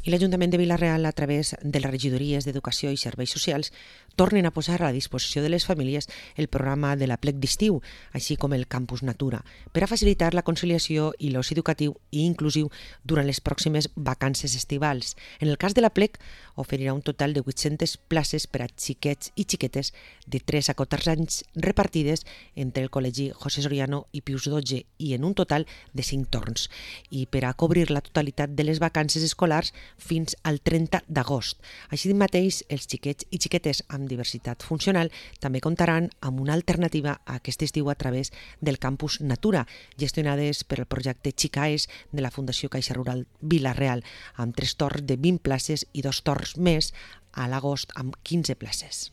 I l'Ajuntament de Vila-real, a través de les regidories d'Educació i Serveis Socials, tornen a posar a la disposició de les famílies el programa de la plec d'estiu, així com el Campus Natura, per a facilitar la conciliació i l'oci educatiu i inclusiu durant les pròximes vacances estivals. En el cas de la plec, oferirà un total de 800 places per a xiquets i xiquetes de 3 a 14 anys repartides entre el Col·legi José Soriano i Pius XII i en un total de 5 torns, i per a cobrir la totalitat de les vacances escolars fins al 30 d'agost. Així mateix, els xiquets i xiquetes amb diversitat funcional també comptaran amb una alternativa a aquest estiu a través del Campus Natura, gestionades per el projecte Xicaes de la Fundació Caixa Rural Vila-real, amb 3 torns de 20 places i 2 torns més a l'agost amb 15 places.